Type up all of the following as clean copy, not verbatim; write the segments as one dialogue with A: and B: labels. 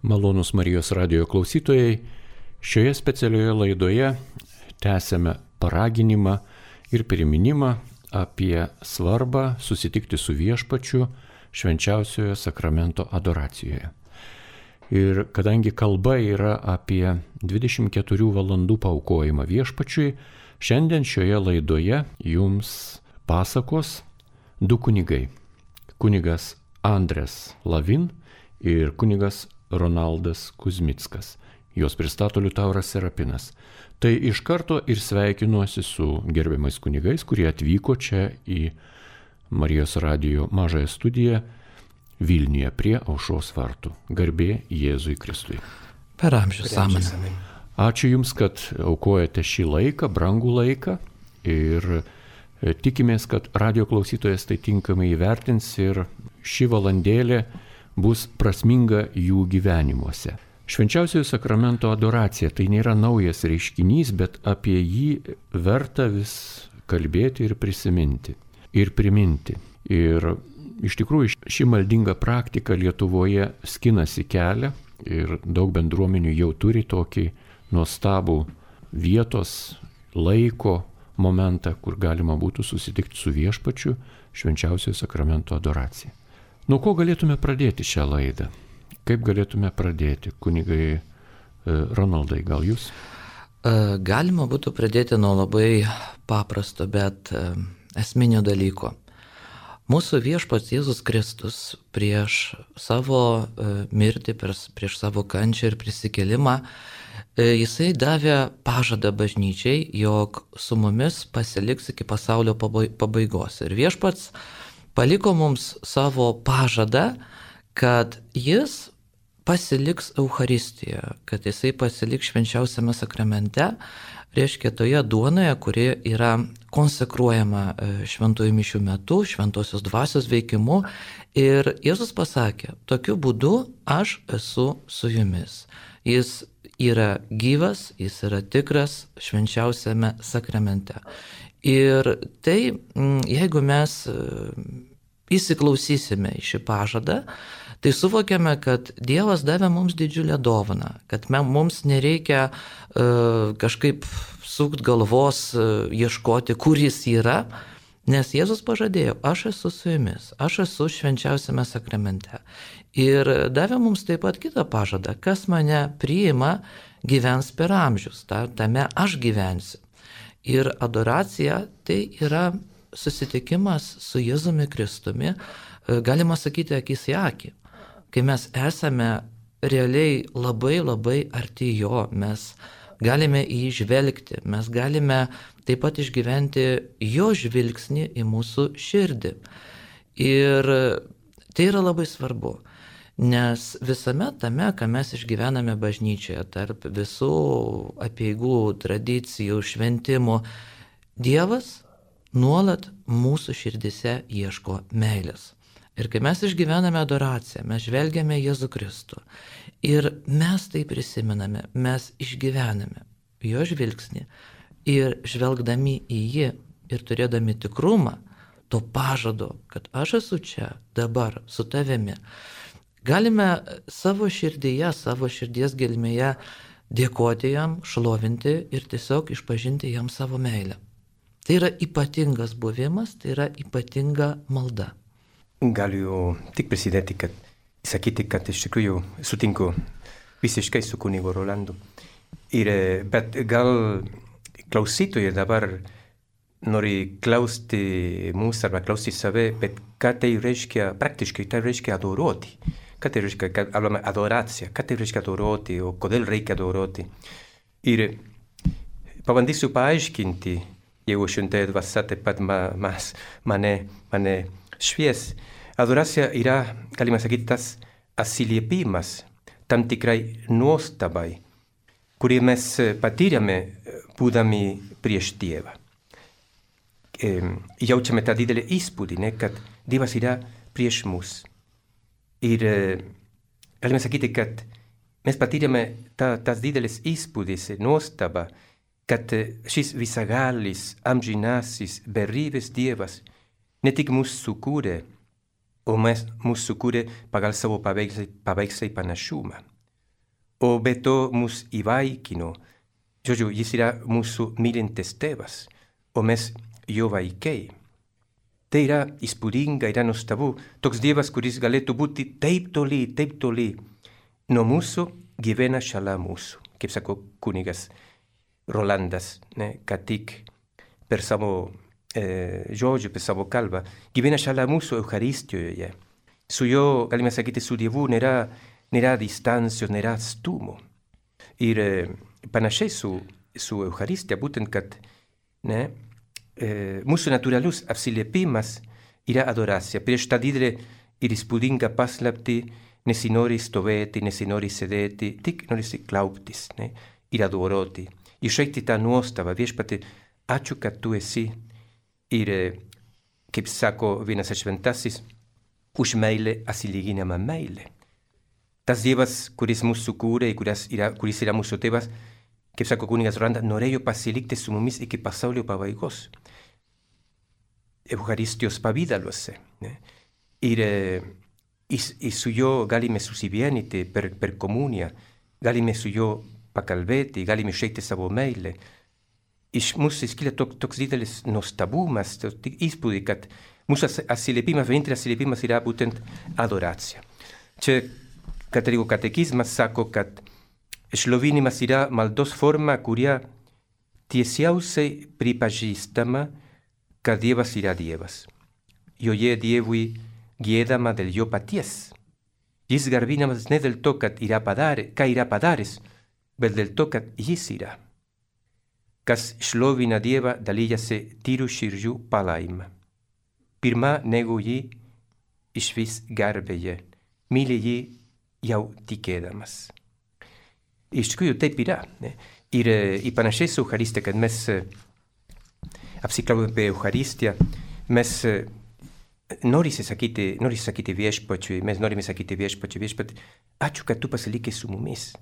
A: Malonūs Marijos radijo klausytojai, šioje specialioje laidoje tęsiame paraginimą ir priminimą apie svarbą susitikti su Viešpačiu švenčiausiojo sakramento adoracijoje. Ir kadangi kalba yra apie 24 valandų paaukojimą Viešpačiui, šiandien šioje laidoje jums pasakos du kunigai. Kunigas Andres Lavin ir kunigas Ronaldas Kuzmickas. Juos pristato Liutauras Serapinas. Tai iš karto ir sveikinuosi su gerbiamais kunigais, kurie atvyko čia į Marijos radijo mažąją studiją Vilniuje prie Aušros vartų. Garbė Jėzui Kristui.
B: Per amžius amen.
A: Ačiū Jums, kad aukojate šį laiką, brangų laiką, ir tikimės, kad radio klausytojas tai tinkamai įvertins ir ši valandėlė bus prasminga jų gyvenimuose. Švenčiausiojo sakramento adoracija tai nėra naujas reiškinys, bet apie jį verta vis kalbėti ir prisiminti ir priminti. Ir iš tikrųjų ši maldinga praktika Lietuvoje skinasi kelią ir daug bendruomenių jau turi tokį nuostabų vietos, laiko momentą, kur galima būtų susitikti su Viešpačiu švenčiausiojo sakramento adoracija. Nuo ko galėtume pradėti šią laidą? Kaip galėtume pradėti? Kunigai Ronaldai, gal jūs?
B: Galima būtų pradėti nuo labai paprasto, bet esminio dalyko. Mūsų Viešpats Jėzus Kristus prieš savo mirtį, prieš savo kančią ir prisikėlimą, Jisai davė pažadą bažnyčiai, jog su mumis pasiliks iki pasaulio pabaigos. Ir Viešpats paliko mums savo pažadą, kad Jis pasiliks Eucharistijoje, kad Jisai pasiliks švenčiausiame sakramente, reiškia toje duonoje, kuri yra konsekruojama šventųjų mišių metu, šventosios dvasios veikimu. Ir Jėzus pasakė, tokiu būdu aš esu su jumis. Jis yra gyvas, jis yra tikras švenčiausiame sakramente. Ir tai, jeigu mes įsiklausysime į šį pažadą, tai suvokiame, kad Dievas davė mums didžiulę dovaną, kad mums nereikia kažkaip sukt galvos, ieškoti, kur jis yra, nes Jėzus pažadėjo, aš esu su jumis, aš esu švenčiausiame sakramente. Ir davė mums taip pat kitą pažadą, kas mane priima, gyvens per amžius, tame aš gyvensiu. Ir adoracija tai yra susitikimas su Jėzumi Kristumi, galima sakyti akis į akį. Kai mes esame realiai labai labai arti jo, mes galime į jį žvelgti, mes galime taip pat išgyventi jo žvilgsnį į mūsų širdį. Ir tai yra labai svarbu, nes visame tame, ką mes išgyvename bažnyčioje, tarp visų apeigų, tradicijų, šventimų, Dievas nuolat mūsų širdise ieško meilės. Ir kai mes išgyvename adoraciją, mes žvelgiame Jėzų Kristų ir mes tai prisimename, mes išgyvename jo žvilgsnį ir žvelgdami į jį ir turėdami tikrumą to pažado, kad aš esu čia dabar su tavimi, galime savo širdyje, savo širdies gelmėje dėkoti jam, šlovinti ir tiesiog išpažinti jam savo meilę. Tai yra ypatingas buvimas, tai yra ypatinga malda.
C: Galiu tik prisidėti, sakyti, kad iš tikrųjų sutinku visiškai su kunigu Rolandu. Bet gal klausytojai dabar nori klausti mūsų arba klausti save, bet ką tai reiškia, praktiškai tai reiškia adoruoti. Ką tai reiškia, kad kalbame adoracija, ką tai reiškia adoruoti, o kodėl reikia adoruoti. Ir pabandysiu paaiškinti, jeigu šventąja dvasia taip pat mane švies. Adoracija yra, galima sakyti, tas atsiliepimas tam tikrai nuostabai, kurį mes patyrėme būdami prieš Dievą. Jaučiame tą didelį įspūdį, kad Dievas yra prieš mus. Ir galime sakyti, kad mes patyrėme tas didelis įspūdis, nuostaba, kad šis visagalis, amžinasis, beribis Dievas ne tik mus sukūrė, o mus sukūrė pagal savo paveikslą ir panašumą. o be to mus įvaikino. Žodžiu, jis yra mūsų mylintis tėvas, o mes jo vaikai. Tai yra įspūdinga, yra nuostabu. Toks Dievas, kuris galėtų būti taip toli nuo mūsų, gyvena šalia mūsų. Kaip sako kunigas Rolandas, ką tik per savo žodžių, per savo kalbą, gyvena šalia mūsų Eucharistijoje. Su jo, galime sakyti, su Dievu nėra distancijos, nėra atstumo. Ir panašiai su Eucharistija, būtent, kad mūsų natūralus apsiliepimas yra adoracija. Prieš tą didelę ir įspūdingą paslaptį nesinori stovėti, nesinori sėdėti, tik norisi klauptis ir adoroti. Išreikšti tą nuostabą, viešpatie, ačiū, kad tu esi. Ir, kaip sako vienas šventasis, už meilę atsilyginama meilė. Tas Dievas, kuris mūsų kūrė, kuris yra mūsų tėvas, kaip sako kunigas Rolandas, norėjo pasilikti su mumis iki pasaulio pabaigos. Eucharistijos pavidaluose. Ir su jo galime susivienyti per komuniją, galime su jo pakalbėti, galime išreikšti savo meilę. Iš mūsų iškyla toks didelis nuostabumas, įspūdį, kad mūsų atsiliepimas, vienintelis atsiliepimas yra būtent adoracija. Čia katalikų katekizmas sako, kad šlovinimas yra maldos forma, kuria tiesiausiai pripažįstama, kad Dievas yra Dievas. Joje Dievui giedama dėl jo paties. Jis garbinamas ne dėl to, ką yra padaręs, bet dėl to, kad jis yra. Kas šlovina Dievą, dalyjasi tyrų širdžių palaima. Pirma nego jį išvis garbėje, myli jį jau tikėdamas. Iš tikrųjų taip yra. Ir panašiai su Eucharistija, kad mes apsikalbame apie Eucharistiją, mes norisi sakyti viešpačiui, mes norime sakyti viešpačiui, ačiū, kad tu pasilikė su mumis.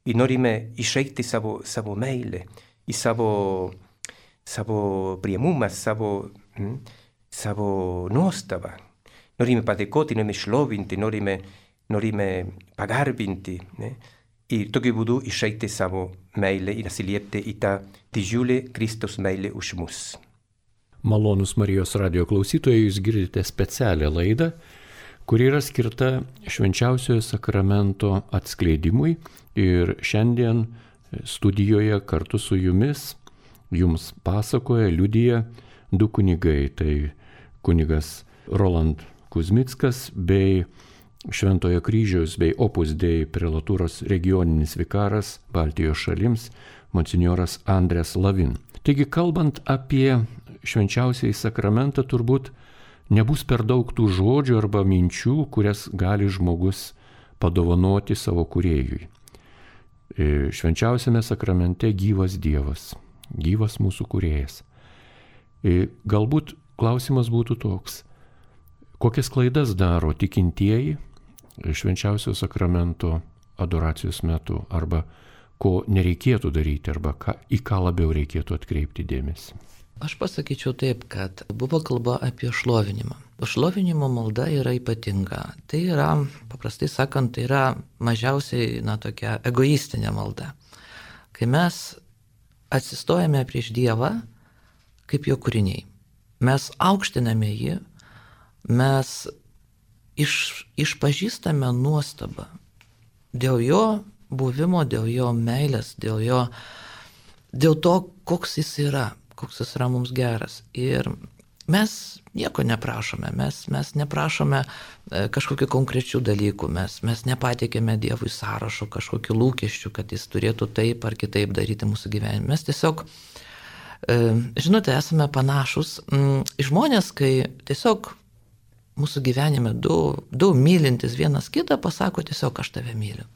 C: Ir norime išreikšti savo meilę, į savo priėmumą, savo nuostabą. Norime padėkoti, norime šlovinti, norime pagarbinti. Ir tokiu būdu išreikšti savo meilę ir atsiliepti į tą didžiulę Kristaus meilę už mus.
A: Malonūs Marijos radijo klausytojai, jūs girdite specialią laidą, kuri yra skirta švenčiausiojo sakramento atskleidimui. Ir šiandien studijoje kartu su jumis jums pasakoja, liudija du kunigai. Tai kunigas Roland Kuzmickas bei Šventojo kryžiaus bei Opus Dei prelatūros regioninis vikaras Baltijos šalims monsinjoras Andrės Lavin. Taigi, kalbant apie švenčiausiąjį sakramentą, turbūt nebus per daug tų žodžių arba minčių, kurias gali žmogus padovanoti savo kūrėjui. Švenčiausiame sakramente gyvas Dievas, gyvas mūsų kūrėjas. Galbūt klausimas būtų toks, kokias klaidas daro tikintieji švenčiausio sakramento adoracijos metu, arba ko nereikėtų daryti, arba į ką labiau reikėtų atkreipti dėmesį.
B: Aš pasakyčiau taip, kad buvo kalba apie šlovinimą. Šlovinimo malda yra ypatinga. Tai yra, paprastai sakant, tai yra mažiausiai, tokia egoistinė malda. Kai mes atsistojame prieš Dievą kaip jo kūriniai, mes aukštiname jį, mes išpažįstame nuostabą dėl jo buvimo, dėl jo meilės, dėl to, koks jis yra mums geras. Ir mes nieko neprašome, mes neprašome kažkokių konkrečių dalykų, mes nepateikėme Dievui sąrašo kažkokių lūkesčių, kad jis turėtų taip ar kitaip daryti mūsų gyvenime. Mes tiesiog, žinote, esame panašus žmonės, kai tiesiog mūsų gyvenime du mylintis vienas kitą pasako tiesiog aš tave myliu.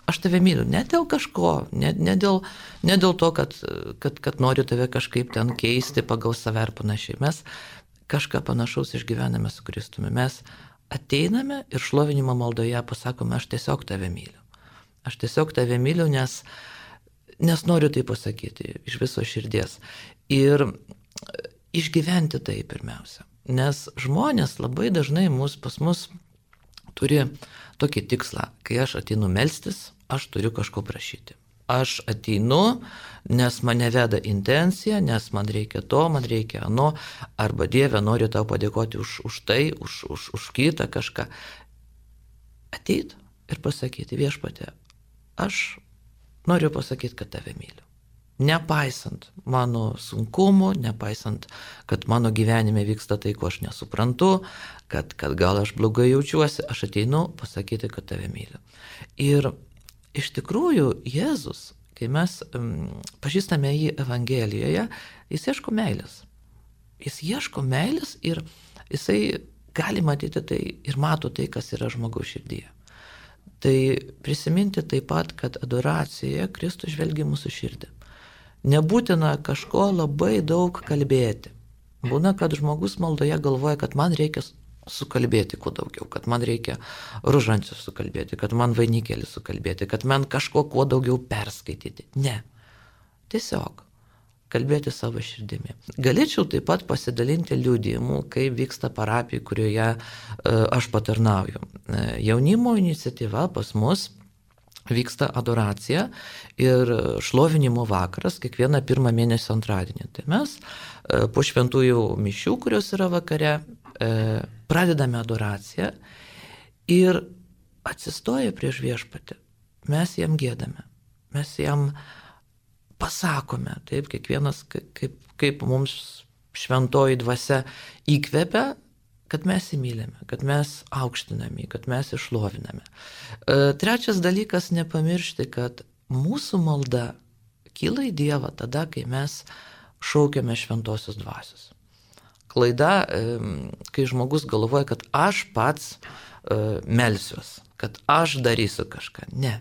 B: Aš tave myliu ne dėl kažko, ne dėl to, kad noriu tave kažkaip ten keisti pagal save ar panašiai. Mes kažką panašaus išgyvename su Kristumi. Mes ateiname ir šlovinimo maldoje pasakome, aš tiesiog tave myliu. Aš tiesiog tave myliu, nes noriu tai pasakyti iš viso širdies. Ir išgyventi tai pirmiausia. Nes žmonės labai dažnai pas mus turi tokį tikslą, kai aš ateinu melstis, aš turiu kažko prašyti. Aš ateinu, nes mane veda intencija, nes man reikia to, man reikia ano, arba Dieve, noriu tau padėkoti už tai, už kitą kažką. Ateit ir pasakyti, Viešpatie, aš noriu pasakyti, kad tave myliu. Nepaisant mano sunkumų, nepaisant, kad mano gyvenime vyksta tai, ko aš nesuprantu, kad gal aš blogai jaučiuosi, aš ateinu pasakyti, kad tave myliu. Ir iš tikrųjų Jėzus, kai mes pažįstame jį Evangelijoje, jis ieško meilės. Jis ieško meilės ir jisai gali matyti tai ir mato tai, kas yra žmogaus širdyje. Tai prisiminti taip pat, kad adoracijoje Kristus žvelgia mūsų širdį. Nebūtina kažko labai daug kalbėti. Būna, kad žmogus maldoje galvoja, kad man reikia sukalbėti kuo daugiau, kad man reikia rožančius sukalbėti, kad man vainikėlį sukalbėti, kad man kažko kuo daugiau perskaityti. Ne. Tiesiog kalbėti savo širdimi. Galėčiau taip pat pasidalinti liudijimu, kaip vyksta parapijai, kurioje aš patarnauju. Jaunimo iniciatyva pas mus vyksta adoracija ir šlovinimo vakaras kiekvieną pirmą mėnesio antradienį. Tai mes po šventųjų mišių, kurios yra vakare, pradedame adoraciją ir atsistoję prieš Viešpatį, mes jam giedame, mes jam pasakome, taip, kiekvienas, kaip mums šventoji dvasia įkvepia, kad mes įmylėme, kad mes aukštiname, kad mes išloviname. Trečias dalykas, nepamiršti, kad mūsų malda kyla į Dievą tada, kai mes šaukiame šventosios dvasios. Klaida, kai žmogus galvoja, kad aš pats melsiuos, kad aš darysiu kažką. Ne.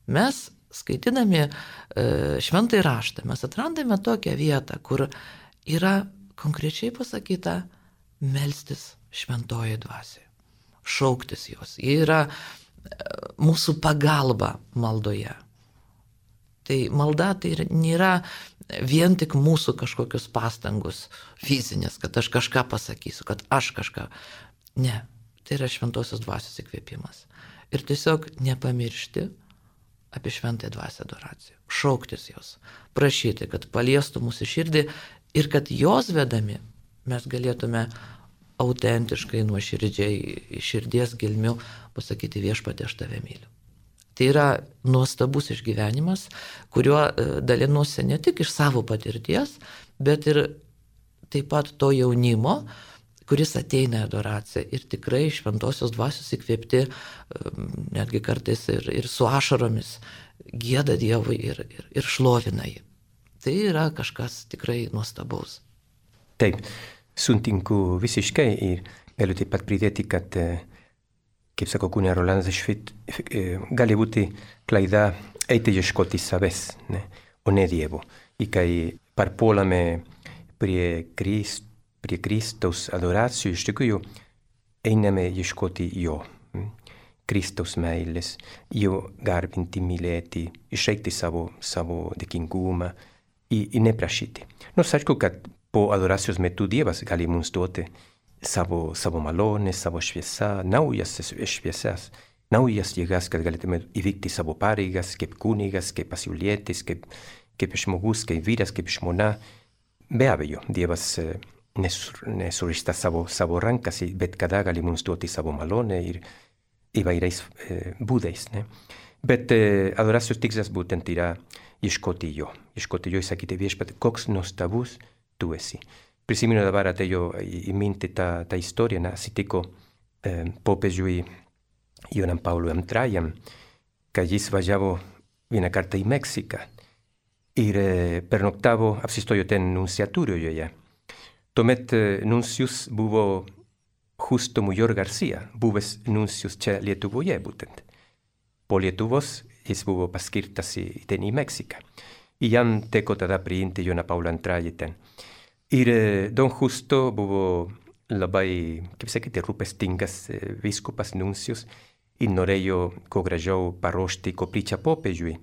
B: Mes, skaitydami šventąjį raštą, mes atrandame tokią vietą, kur yra konkrečiai pasakyta melstis šventoje dvasioje, šauktis jos. Jie yra mūsų pagalba maldoje. Tai malda tai nėra vien tik mūsų kažkokios pastangos fizinės, kad aš kažką pasakysiu, kad aš kažką. Ne, tai yra šventosios dvasios įkvėpimas. Ir tiesiog nepamiršti apie šventąją dvasią adoraciją. Šauktis jos, prašyti, kad paliestų mūsų širdį ir kad jos vedami mes galėtume autentiškai, nuoširdžiai, širdies gelmių pasakyti Viešpatie, aš tave myliu. Tai yra nuostabus išgyvenimas, kuriuo dalinuosi ne tik iš savo patirties, bet ir taip pat to jaunimo, kuris ateina į adoraciją ir tikrai šventosios dvasios įkvėpti, netgi kartais ir su ašaromis, gieda Dievui ir šlovina jį. Tai yra kažkas tikrai nuostabaus.
C: Taip. Sutinku visiškai ir galiu taip pat pridėti, kad, kaip sako kunė Rolandas, gali būti klaida eiti ieškoti savęs, ne? O ne Dievo. Ir kai parpuolame prie Kristaus adoracijų, iš tikrųjų einame ieškoti jo, Kristaus meilės, jo garbinti, mylėti, išreikšti savo dėkingumą ir neprašyti. Nors aišku, kad po adoracijos metu Dievas gali mums duoti savo malonę, savo šviesą, naujas šviesas, naujas jėgas, kad galėtume įvykti savo pareigas, kaip kunigas, kaip pasaulietis, kaip žmogus, kaip vyras, kaip žmona. Be abejo, Dievas nesurišta savo rankas, bet kada gali mums duoti savo malonę ir įvairiais būdais. Ne? Bet adoracijos tikslas būtent yra ieškoti jo ir sakyti Viešpatie, koks nuostabus tu esi. Prisimenu dabar atėjo į mintį tą istoriją, atsitiko popiežiui Jonam Paului II, kad jis važiavo vieną kartą į Meksiką ir pernoktavo, apsistojo ten nunciatūroje. Tuomet nuncijus buvo Justo Mujor Garcia, buvęs nuncijus čia Lietuvoje būtent. Po Lietuvos jis buvo paskirtas ten į Meksiką. Ir jam teko tada priimti Joną Paulą II ten. Ir Don Justo buvo labai, kaip sakyti, rūpestingas vyskupas nuncijus ir norėjo kuo gražiau paruošti koplyčią popiežiui,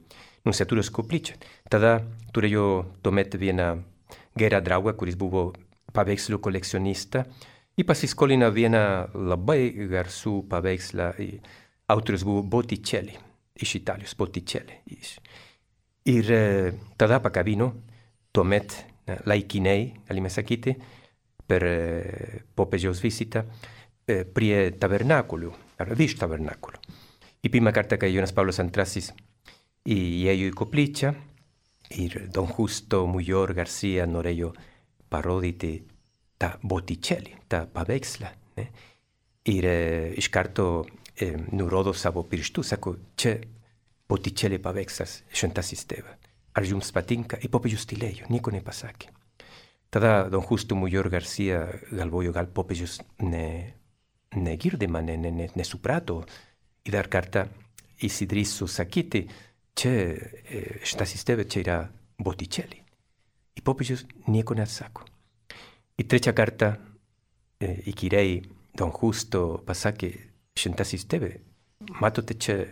C: nunciatūros koplyčią. Tada turėjo tuomet vieną gerą draugą, kuris buvo paveikslų kolekcionista ir pasiskolino vieną labai garsų paveikslą. Autorius buvo Botticelli. iš Italijos, Botticelli. Ir tada pakabino tuomet laikinai, galime sakyti, per popiežiaus vizitą prie tabernakulių, ar virš tabernakulių. I pirmą kartą, kai Jonas Paulius II įėjo į koplyčią ir Don Justo Mujor Garcia norėjo parodyti tą Botticelli, tą paveikslą. Ir iš karto nurodo savo pirštų, sako, čia Botticelli paveikslas, šventasis tėvas. Ar jums patinka? I popiežius tylėjo, nieko nepasakė. Tada Don Justo Mujor Garcia galvojo, gal popiežius negirdi mane, nesuprato. I dar kartą įsidrįso sakyti, čia šventasis tėvas, čia yra Botticelli. I popiežius nieko neatsako. I trečią kartą įkyriai Don Justo pasakė, šventasis tėvas, matote čia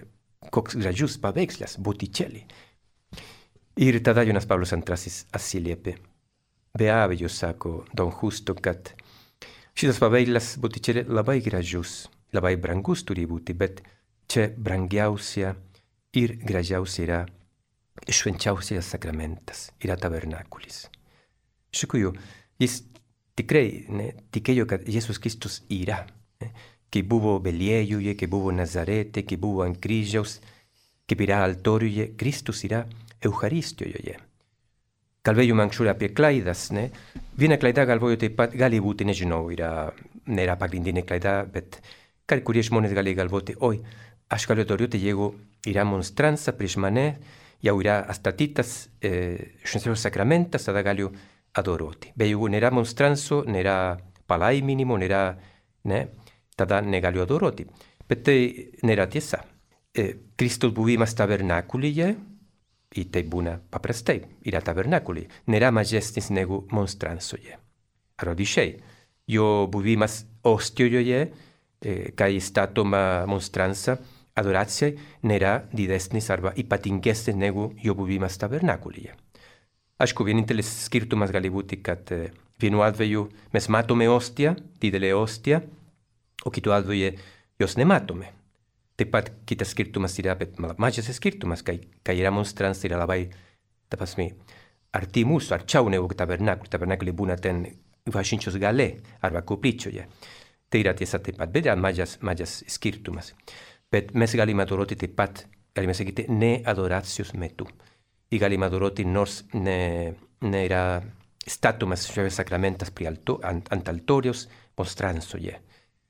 C: koks gražus paveikslas, Botticelli. Ir tada Jonas Paulius II atsiliepė. Be abejo, sako Don Justo, kad šitas paveikslas Botticelli labai gražus, labai brangus turi būti, bet čia brangiausia ir gražiausia yra švenčiausias sakramentas, yra tabernakulis. Iš tikrųjų, jis tikrai tikėjo, kad Jėzus Kristus yra, kai buvo Beliejuje, kai buvo Nazarete, kai buvo ant kryžiaus, kaip yra altoriuje, Kristus yra Eucharistijoje. Kalbėjome anksčiau apie klaidas, ne? Viena klaida galvoju taip pat gali būti, nežinau, nėra pagrindinė klaida, bet kai kurie žmonės gali galvoti, oi, aš galiu adoriuoti, jeigu yra monstrança prieš mane, jau yra atstatytas šventasis sakramentas, tada galiu adoroti. Bet jeigu nėra monstranco, nėra palaiminimo, nėra, ne? Tada negaliu adoroti. Bet tai nėra tiesa. Kristus buvimas tabernakulyje, i tai būna paprastai, yra tabernakulyje, nėra mažesnis negu monstrancoje. Ar odisčiai, jo buvimas ostijoje, kai statoma monstranca, adoracijai, nėra didesnis arba ypatingesnis negu jo buvimas tabernakulyje. Aišku, vienintelis skirtumas gali būti, kad vienu atveju mes matome ostiją, didelę ostiją, o kitu atveju jos nematome. Taip pat kitas skirtumas yra, bet mažas skirtumas, kai yra monstranca, yra labai, ta prasme, arti mūsų, arčiau negu tabernakulį. Tabernakulį būna ten bažnyčios gale arba koplyčioje. Tai yra tiesa taip pat, bet yra mažas skirtumas. Bet mes galime adoroti taip pat, galime sakyti, ne adoracijos metu. I galime adoroti nors nėra statomas šventas sakramentas ant altoriaus monstrancoje.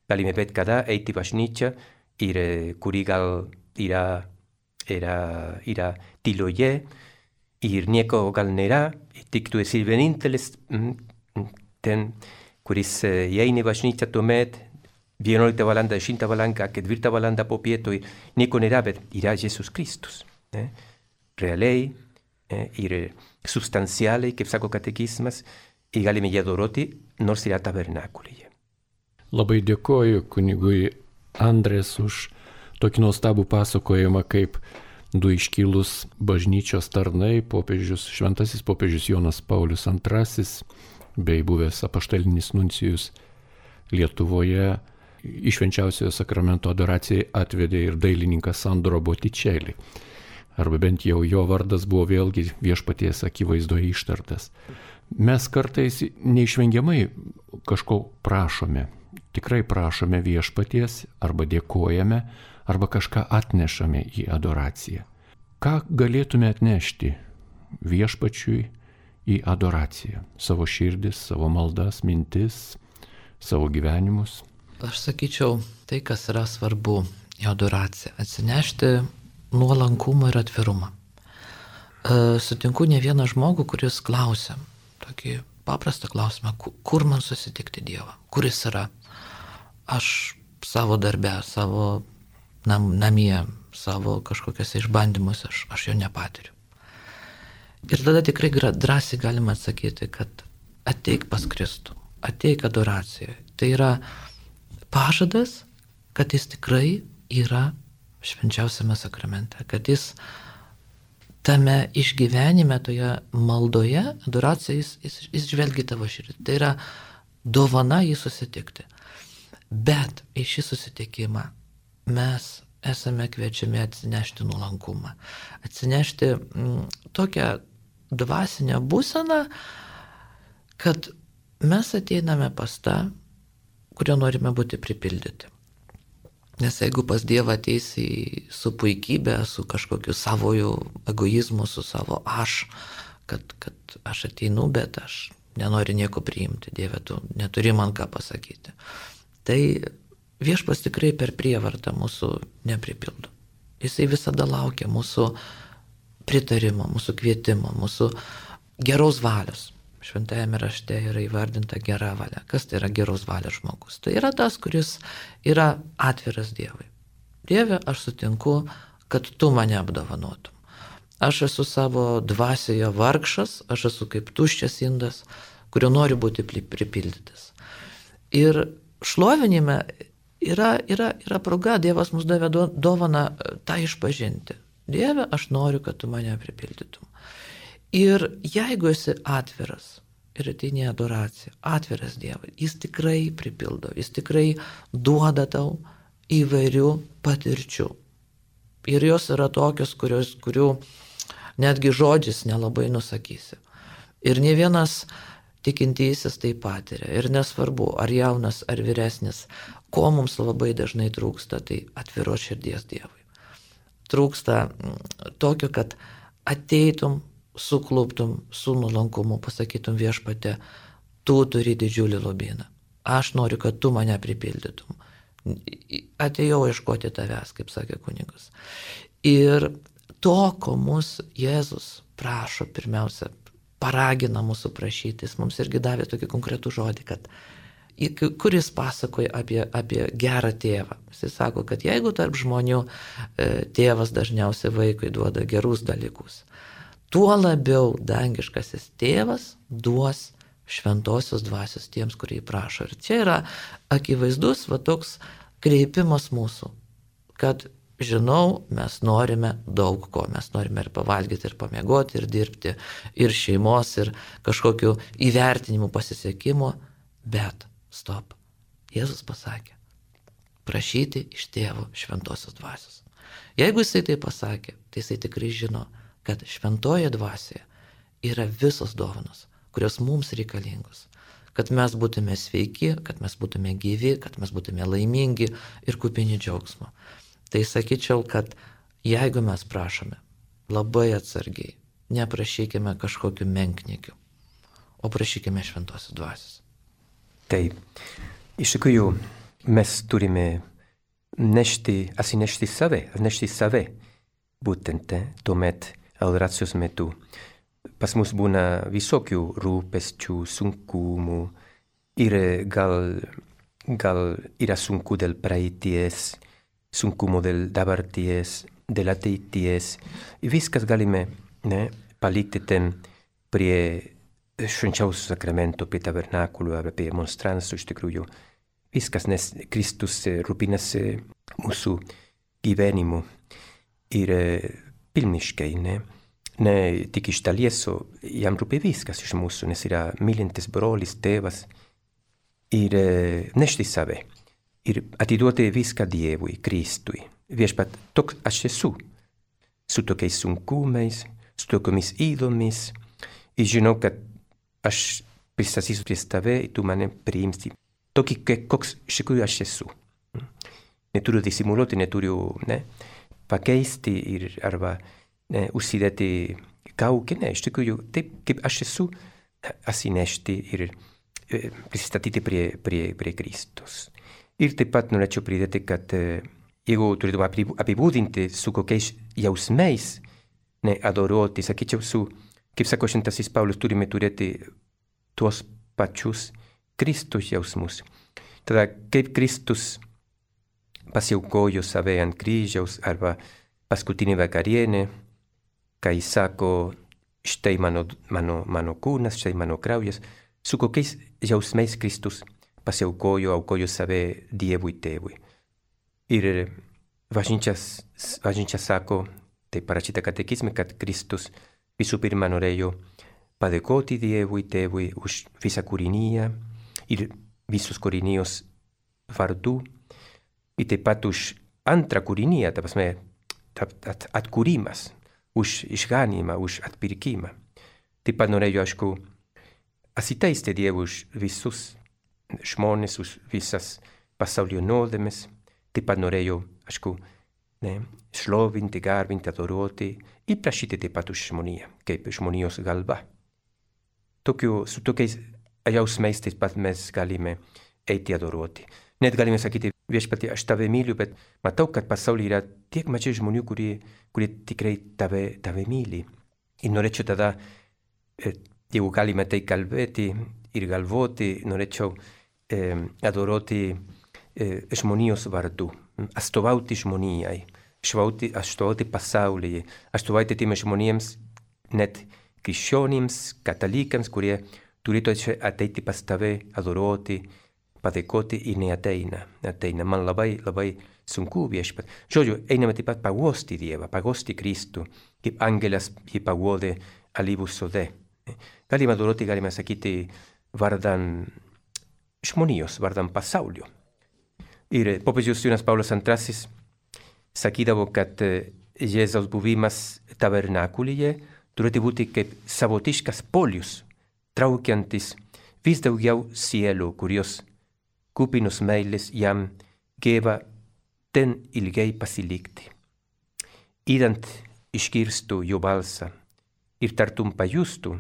C: Galime bet kada eiti bažnyčia ir kuri gal yra tyloje ir nieko gal nėra, tik tu esi vienintelis ten, kuris įeina į bažnyčią tuomet, 11 valanda, 10 valanda, 4 valanda po pieto, nieko nėra, bet yra Jėzus Kristus. Realiai ir substancialiai, kaip sako katekizmas, ir galime jį adoroti, nors yra tabernakulyje.
A: Labai dėkoju kunigui Andrės už tokį nuostabų pasakojimą, kaip du iškilus bažnyčios tarnai, šventasis popiežius Jonas Paulius II bei buvęs apaštalinis nuncijus Lietuvoje į švenčiausiojo sakramento adoracijai atvedė ir dailininkas Sandro Botticelli. Arba bent jau jo vardas buvo vėlgi viešpaties akivaizdoje ištartas. Mes kartais neišvengiamai kažko prašome. Tikrai prašome viešpaties, arba dėkojame, arba kažką atnešame į adoraciją. Ką galėtume atnešti viešpačiui į adoraciją? Savo širdis, savo maldas, mintis, savo gyvenimus?
B: Aš sakyčiau, tai, kas yra svarbu į adoraciją, atsinešti nuolankumą ir atvirumą. Sutinku ne vieną žmogų, kuris klausia, tokį paprastą klausimą, kur man susitikti Dievą, kur jis yra. Aš savo darbe, savo namie, savo kažkokiuose išbandymuose, aš jo nepatiriu. Ir tada tikrai drąsiai galima atsakyti, kad ateik pas Kristų, ateik adoracijoje. Tai yra pažadas, kad jis tikrai yra švenčiausiame sakramente, kad jis tame išgyvenime, toje maldoje, adoracijoje, jis žvelgia tavo širdį. Tai yra dovana jį susitikti. Bet į šį susitikimą mes esame kviečiami atsinešti nuolankumą. Atsinešti tokią dvasinę būseną, kad mes ateiname pas tą, kurio norime būti pripildyti. Nes jeigu pas Dievą ateisi su puikybė, su kažkokiu savojų egoizmu, su savo aš, kad aš ateinu, bet aš nenoriu nieko priimti, Dieve, tu neturi man ką pasakyti. Tai Viešpats tikrai per prievartą mūsų nepripildo. Jisai visada laukia mūsų pritarimo, mūsų kvietimo, mūsų geros valios. Šventajame rašte yra įvardinta gera valia. Kas tai yra geros valios žmogus? Tai yra tas, kuris yra atviras Dievui. Dieve, aš sutinku, kad tu mane apdovanotum. Aš esu savo dvasioje vargšas, aš esu kaip tuščias indas, kurio nori būti pripildytas. Ir šlovinime yra proga, Dievas mums davė dovaną tą išpažinti. Dieve, aš noriu, kad tu mane pripildytum. Ir jeigu esi atviras ir ateini į adoraciją, atviras Dievui, jis tikrai pripildo, jis tikrai duoda tau įvairių patirčių. Ir jos yra tokios, kurių netgi žodžiais nelabai nusakysi. Ir ne vienas tikintysis tai patiria. Ir nesvarbu, ar jaunas, ar vyresnis, ko mums labai dažnai trūksta, tai atviros širdies Dievui. Trūksta tokio, kad ateitum, sukluptum su nuolankumu, pasakytum Viešpatie, tu turi didžiulį lobyną. Aš noriu, kad tu mane pripildytum. Atėjau ieškoti tavęs, kaip sakė kunigas. Ir to, ko mus Jėzus prašo, pirmiausia, paragina mūsų prašyti, jis mums irgi davė tokį konkretų žodį, kad kuris pasakoja apie gerą tėvą. Jis sako, kad jeigu tarp žmonių tėvas dažniausiai vaikui duoda gerus dalykus, tuo labiau dangiškasis tėvas duos šventosios dvasios tiems, kurie prašo. Ir čia yra akivaizdus toks kreipimas mūsų, kad žinau, mes norime daug ko. Mes norime ir pavalgyti, ir pamiegoti, ir dirbti, ir šeimos, ir kažkokiu įvertinimu, pasisekimu, bet stop. Jėzus pasakė, prašyti iš tėvo šventosios dvasios. Jeigu jisai tai pasakė, tai jisai tikrai žino, kad šventoje dvasioje yra visos dovanos, kurios mums reikalingos, kad mes būtume sveiki, kad mes būtume gyvi, kad mes būtume laimingi ir kupini džiaugsmo. Tai sakyčiau, kad jeigu mes prašome, labai atsargiai, neprašykime kažkokiu menkniekiu, o prašykime šventosios dvasios.
C: Taip, iš tikrųjų mes turime atsinešti save, būtent tuomet adoracijos metu. Pas mus būna visokių rūpesčių, sunkumų ir gal yra sunku dėl praeities, sunkumo dėl dabarties, dėl ateities. Viskas galime palikti ten prie švenčiausio sakramento, prie tabernakulo ar prie monstranso iš tikrųjų. Viskas, nes Kristus rūpinasi mūsų gyvenimu ir pilniškai, ne tik iš dalies, jam rūpi viskas iš mūsų, nes yra mylintis brolis, tėvas ir nešti save. Ir atiduoti viską Dievui, Kristui. Viešpat, toks aš esu, su tokiais sunkumais, su tokiomis įdomis, ir žinau, kad aš pristatysiu prie tave, ir tu mane priimsi. Tokį, koks iš tikrųjų aš esu. Neturiu disimuliuoti, neturiu pakeisti arba užsidėti kaukę, iš tikrųjų, taip kaip aš esu, atsinešti ir pristatyti prie Kristus. Ir taip pat norėčiau pridėti, kad jeigu turėtume apibūdinti su kokiais jausmais adoruoti, sakyčiau, kaip sako šventasis Paulius, turime turėti tuos pačius Kristus jausmus. Tada kaip Kristus pasiaukojo save ant kryžiaus arba paskutinė vakarienė, kai sako, štai mano kūnas, štai mano kraujas, su kokiais jausmais Kristus aukojo save Dievui tėvui. Ir bažnyčia sako, tai parašyta katekizme, kad Kristus visų pirma norėjo padėkoti Dievui tėvui už visą kūriniją ir visus kūrinijos vardu, ir taip pat už antrą kūrinyje, ta prasme, atkūrimas, už išganymą, už atpirkimą. Taip pat norėjau, aišku, asiteisti Dievui už visus žmonės, už visas pasaulio nuodėmes. Taip pat norėjau, aišku, šlovinti, garbinti, adoruoti ir prašyti taip pat už žmoniją, kaip žmonijos galva. Su tokiais jausmais taip pat mes galime eiti adoruoti. Net galime sakyti, viešpatie, aš tave myliu, bet matau, kad pasaulyje yra tiek mažai žmonių, kurie tikrai tave myli. Ir norėčiau tada, jeigu galime tai kalbėti ir galvoti, norėčiau adoruoti žmonijos vardu, atstovauti žmonijai, atstovauti pasaulyje, atstovauti tiems žmonėms, net krikščionims, katalikams, kurie turėtų ateiti pas tave, adoruoti, padėkoti ir neateina. Man labai, labai sunku viešpat. Žodžiu, einame taip pat paguosti Dievą, paguosti Kristų, kaip angelas jį paguodė alyvų sode. Galime adoruoti, galime sakyti, vardan žmonijos, vardan pasaulio. Ir popiežius Jonas Paulius II sakydavo, kad Jėzaus buvimas tabernakulyje turėtų būti kaip savotiškas polius, traukiantis vis daugiau sielų, kurios kupinus meilės jam geba ten ilgai pasilikti. Idant išgirstų jo balsą ir tartum pajustų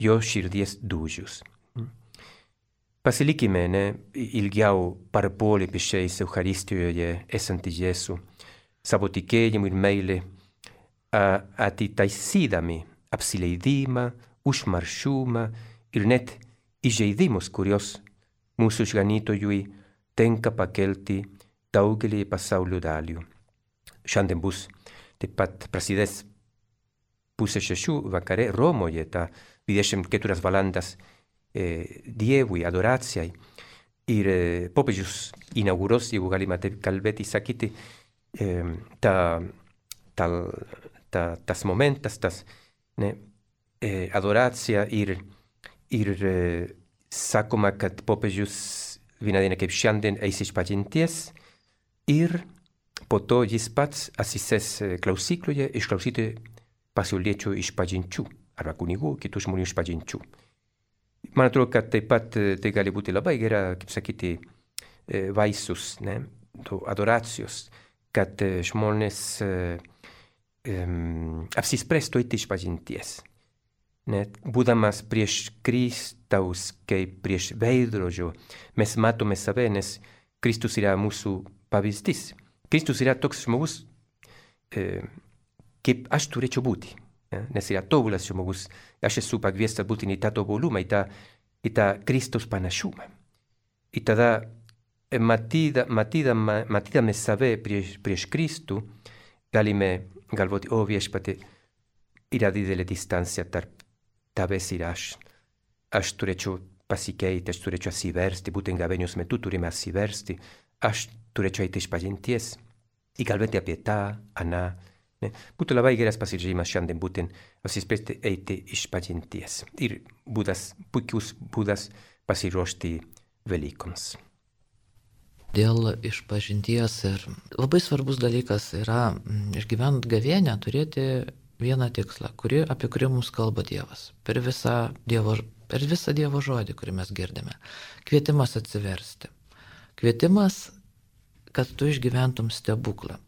C: jo širdies dūžius. Pasilikime ilgiau parpuolę pečiais Eucharistijoje esantį Jėzų, savo tikėjimu ir meilę, atitaisydami apsileidimą, užmaršumą ir net įžeidimus, kurios mūsų išganytojui tenka pakelti daugelį pasaulio dalių. Šiandien bus taip pat prasidės 5:30 vakare Romoje, ta 24 valandas Dievui, adoracijai. Ir popiežius inauguros, jeigu galima taip kalbėti, sakyti, tas momentas, adoracija ir sakoma, kad popiežius vieną dieną kaip šiandien eis išpažinties ir po to jis pats atsisės klausykloje išklausyti pasauliečių išpažinčių arba kunigų, kitų žmonių išpažinčių. Man atrodo, kad taip pat tai gali būti labai gera, kaip sakyti, vaisius, adoracijos, kad žmonės apsispręstų eiti išpažinties. Būdamas prieš Kristaus, kaip prieš veidrodžio, mes matome save, nes Kristus yra mūsų pavyzdys. Kristus yra toks žmogus, kaip aš turėčiau būti, nes yra tobulas žmogus. Aš esu pakviestas būti į tą tobulumą, į tą Kristus panašumą. Ir tada, matydami save prieš Kristų, galime galvoti, viešpatie, yra didelė distancija tarp tavęs ir aš. Aš turėčiau pasikeiti, aš turėčiau atsiversti, būtent gavėnios metu turime atsiversti, aš turėčiau eiti išpažinties ir kalbėti apie tą, aną. Būtų labai geras pasiryžimas šiandien būtent apsispręsti eiti išpažinties ir puikus būdas pasiruošti Velykoms.
B: Dėl išpažinties ir labai svarbus dalykas yra išgyvent gavėnią turėti vieną tikslą, apie kurį mums kalba Dievas. Per visą Dievo žodį, kurį mes girdime. Kvietimas atsiversti. Kvietimas, kad tu išgyventum stebuklą.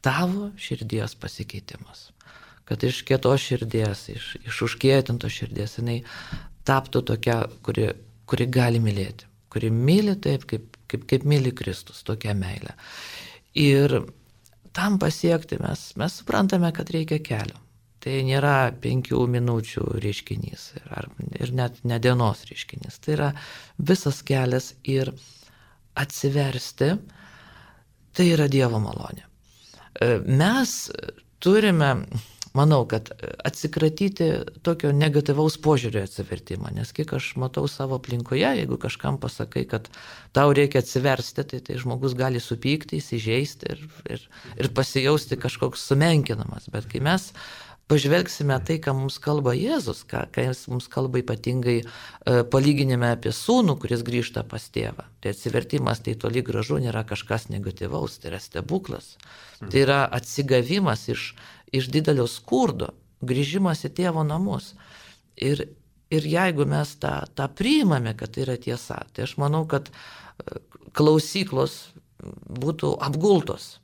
B: Tavo širdies pasikeitimas. Kad iš kietos širdies, iš užkietintos širdies, jinai taptų tokia, kuri gali mylėti. Kuri myli taip, kaip myli Kristus, tokia meilė. Ir tam pasiekti mes suprantame, kad reikia kelio. Tai nėra 5 minučių reiškinys ir net ne dienos reiškinys. Tai yra visas kelias ir atsiversti, tai yra Dievo malonė. Mes turime, manau, kad atsikratyti tokio negatyvaus požiūrio atsivertimą, nes kiek aš matau savo aplinkoje, jeigu kažkam pasakai, kad tau reikia atsiversti, tai žmogus gali supykti, įsižeisti ir pasijausti kažkoks sumenkinamas. Bet kai mes pažvelgsime tai, ką mums kalba Jėzus, ką jis mums kalba ypatingai palyginime apie sūnų, kuris grįžta pas tėvą. Tai atsivertimas tai toli gražu nėra kažkas negatyvaus, tai yra stebuklas. Tai yra atsigavimas iš didelio skurdo, grįžimas į tėvo namus. Ir jeigu mes tą priimame, kad tai yra tiesa, tai aš manau, kad klausyklos būtų apgultos.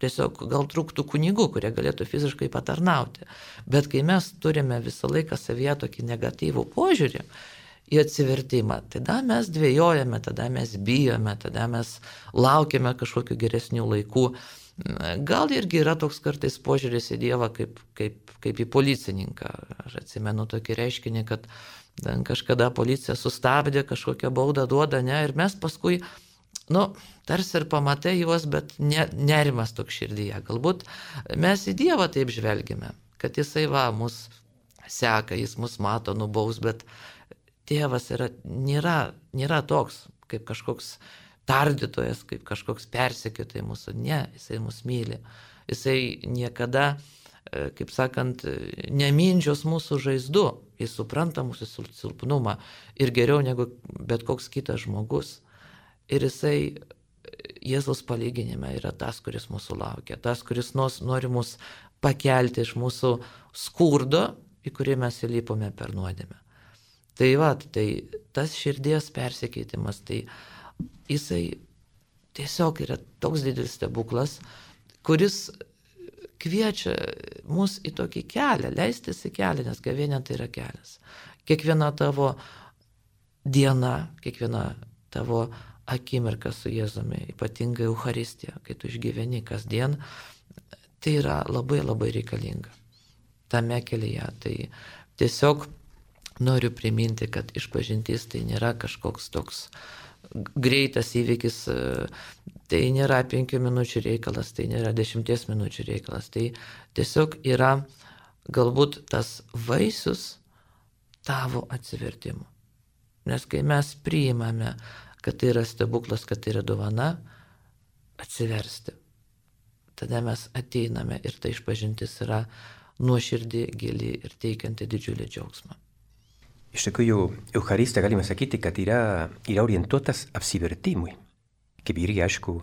B: Tiesiog gal trūktų kunigų, kurie galėtų fiziškai patarnauti. Bet kai mes turime visą laiką savyje tokį negatyvų požiūrį į atsivertimą, tada mes dvejojame, tada mes bijome, tada mes laukiame kažkokių geresnių laikų. Gal irgi yra toks kartais požiūris į Dievą kaip į policininką. Aš atsimenu tokį reiškinį, kad kažkada policija sustabdė, kažkokią baudą duoda, ne, ir mes paskui tarsi ir pamatai juos, bet nerimas toks širdyje. Galbūt mes į Dievą taip žvelgime, kad jisai mus seka, jis mus mato, nubaus, bet tėvas nėra toks, kaip kažkoks tardytojas, kaip kažkoks persekiotojas mūsų. Ne, jisai mus myli. Jisai niekada, kaip sakant, nemindžios mūsų žaizdų. Jis supranta mūsų silpnumą ir geriau negu bet koks kitas žmogus. Ir jisai Jėzaus palyginime yra tas, kuris mūsų laukia, tas, kuris nori mus pakelti iš mūsų skurdo, į kurį mes įlipome per nuodėmę. Tai tas širdies persikeitimas, tai jisai tiesiog yra toks didelis stebuklas, kuris kviečia mus į tokį kelią, leistis į kelią, nes gavėnia tai yra kelias. Kiekviena tavo diena, kiekviena tavo akimirka su Jėzumi, ypatingai Eucharistija, kai tu išgyveni kasdien, tai yra labai labai reikalinga. Tame kelyje. Tai tiesiog noriu priminti, kad išpažintis tai nėra kažkoks toks greitas įvykis, tai nėra 5 minučių reikalas, tai nėra 10 minučių reikalas. Tai tiesiog yra galbūt tas vaisius tavo atsivertimo. Nes kai mes priimame, kad tai yra stebuklas, kad tai yra dovana, atsiversti. Tada mes ateiname ir ta išpažintis yra nuoširdį, gili ir teikianti didžiulį džiaugsmą.
C: Iš tikrųjų, Eucharistija galime sakyti, kad yra orientuotas apsivertimui, kaip irgi aišku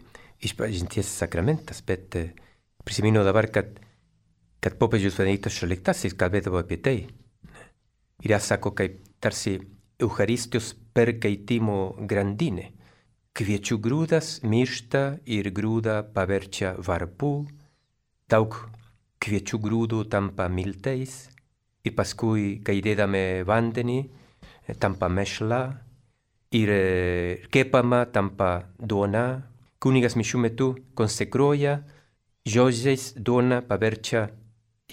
C: išpažinties sakramentas, bet prisimenu dabar, kad popiežius Benediktas XVI kalbėdavo apie tai. Ir sako, kaip tarsi Eucharistijos perkeitimo grandinė. Kviečių grūdas miršta ir grūdą paverčia varpu, daug kviečių grūdų tampa miltais ir paskui, kai įdedame vandenį, tampa mešla ir kepama tampa duona. Kunigas mišių metu konsekruoja, žodžiais duona paverčia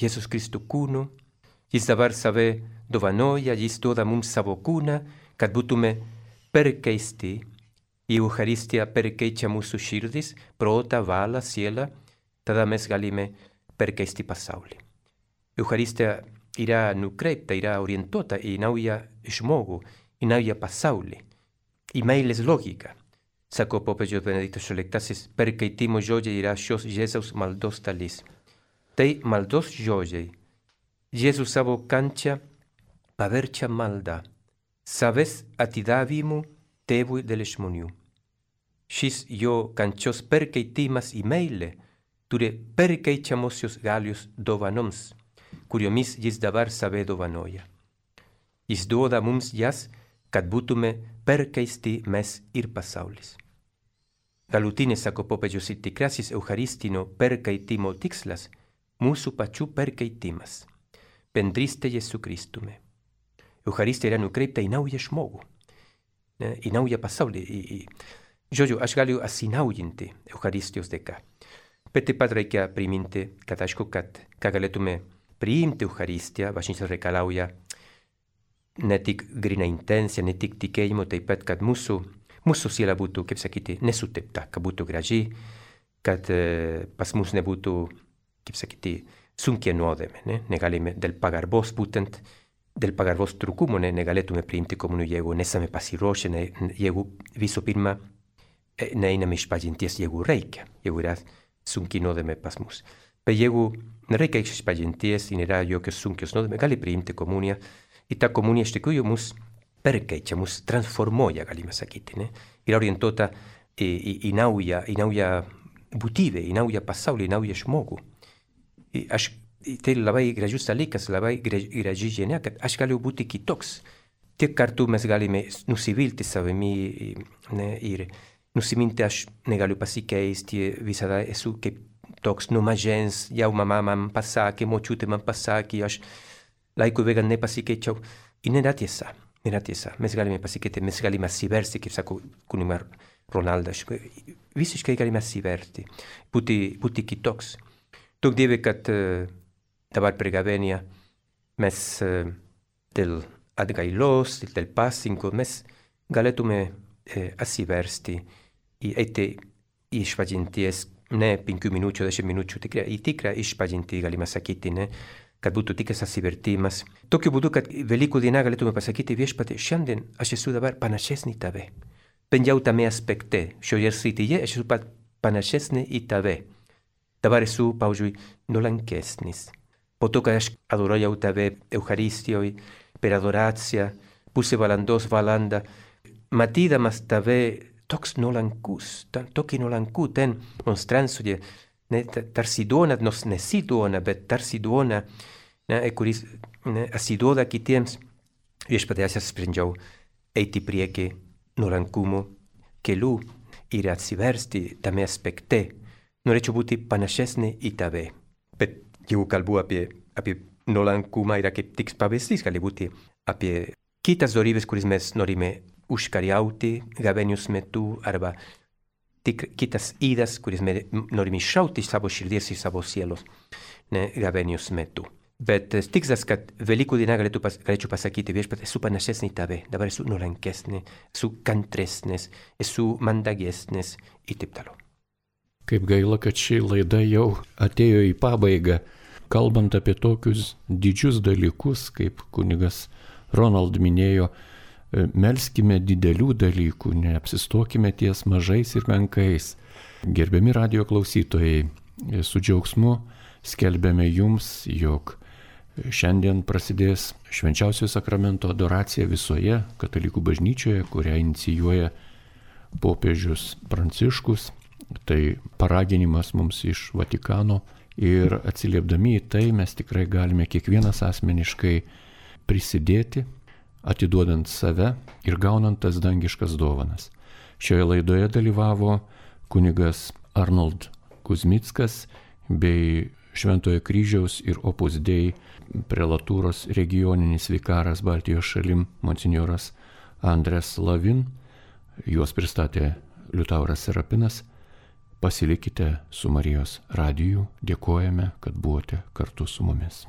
C: Jėzus Kristų kūnu. Jis dabar save dovanoja, jis duoda mums savo kūną, kad būtume perkeisti. I Eucharistija perkeičia mūsų širdis, protą, valą, sielą, tada mes galime perkeisti pasaulį. Eucharistija yra nukreipta, yra orientuota į naują žmogų, į naują pasaulį, į meilės logiką. Sako popiežius Benediktas XVI, perkeitimo žodžiai yra šios Jėzaus maldos dalis. Tai maldos žodžiai. Jėzus savo kančią paverčia maldą, savęs atidavimu tėvui dėl žmonių. Šis jo kančios perkeitimas į meilę turi perkeičiamosios galios dovanoms, kuriomis jis dabar save dovanoja. Jis duoda mums jas, kad būtume perkeisti mes ir pasaulis. Galutinės, sako popiežius, ir tikrasis eucharistinio perkeitimo tikslas mūsų pačių perkeitimas, bendrystė Jėzu Kristumi. Eucharistija yra nukreipta į naują žmogų, į naują pasaulį. Žodžiu, aš galiu atsinaujinti Eucharistijos dėka. Bet taip pat reikia priminti, kad aišku, kad galėtume priimti Eucharistiją, bažnyčia reikalauja ne tik gryną intenciją, ne tik tikėjimo, taip pat, kad mūsų siela būtų, kaip sakyti, nesutepta, kad būtų graži, kad pas mus nebūtų, kaip sakyti, sunkia nuodėmė, negalime dėl pagarbos būtent, dėl pagarbos trūkumo negalėtume priimti komuniją, jeigu nesame pasiruošę, jeigu visų pirma neiname išpažinties, jeigu reikia, jeigu yra sunki nuodėmė pas mus. Bet jeigu nereikia išpažinties, nėra jokios sunkios nuodėmės, gali priimti komuniją. Ir ta komunija iš tikrųjų mus perkeičia, mus transformuoja, galime sakyti. Ne? Yra orientuota į naują būtybę, į naują pasaulį, į naują žmogų. Tai labai gražus dalykas, labai graži žinia, kad aš galiu būti kitoks. Tiek kartų mes galime nusivilti savimi ir nusiminti, aš negaliu pasikeisti, visada esu kaip toks nuo mažens, jau mama man pasakė, močiutė man pasakė, aš laiku bėgant nepasikeičiau. Ir nėra tiesa. Mes galime pasikeiti, mes galime atsiversti, kaip sako kunigas Ronaldas, visiškai galime atsiverti, būti kitoks. Duok Dieve, kad dabar per gavėnią mes dėl atgailos, dėl pasninko, mes galėtume atsiversti ir eiti išpažinties, ne 5 minučių, 10 minučių, į tikrą išpažintį galime sakyti, ne? Kad būtų tikras atsivertimas. Tokiu būdu, kad Velykų diena galėtume pasakyti, viešpatie, šiandien aš esu dabar panašesnį į tave. Bent jau tame aspekte, šioje srityje aš esu panašesnį į tave. Dabar esu, pavyzdžiui, nuolankesnis. Po to, kad aš adorojau tave Eucharistijoje, per adoraciją, pusę valandos valandą, matydamas tave toks nuolankus, tokį nuolankų ten monstransoje, tarsi duona, nors nesi duona, bet tarsi duona, kuris atsiduoda kitiems. Viešpatie, aš sprendžiau eiti prieki nuolankumo keliu ir atsiversti tame aspekte. Norėčiau būti panašesnė į tave. Bet jeigu kalbu apie nuolankumą, yra kaip tik pavyzdys, gali būti apie kitas dorybės, kuris mes norime užkariauti gavėnios metu, arba kitas idas, kuris norime iššauti iš savo širdies ir savo sielos gavėnios metu. Bet tikslas, kad Velykų diena galėčiau pasakyti, viešpatie, esu panašesnė į tave, dabar esu nuolankesnė, esu kantresnės, esu mandagesnės ir taip toliau.
A: Kaip gaila, kad ši laida jau atėjo į pabaigą. Kalbant apie tokius didžius dalykus, kaip kunigas Ronald minėjo, melskime didelių dalykų, neapsistokime ties mažais ir menkais. Gerbiami radijo klausytojai, su džiaugsmu skelbiame jums, jog šiandien prasidės švenčiausio sakramento adoracija visoje katalikų bažnyčioje, kurią inicijuoja popiežius Pranciškus. Tai paraginimas mums iš Vatikano ir atsiliepdami į tai mes tikrai galime kiekvienas asmeniškai prisidėti, atiduodant save ir gaunant tas dangiškas dovanas. Šioje laidoje dalyvavo kunigas Arnold Kuzmickas bei Šventojo Kryžiaus ir Opus Dei prelatūros regioninis vikaras Baltijos šalim monsinjoras Andres Lavin. Juos pristatė Liutauras Serapinas. Pasilikite su Marijos radiju. Dėkojame, kad buvote kartu su mumis.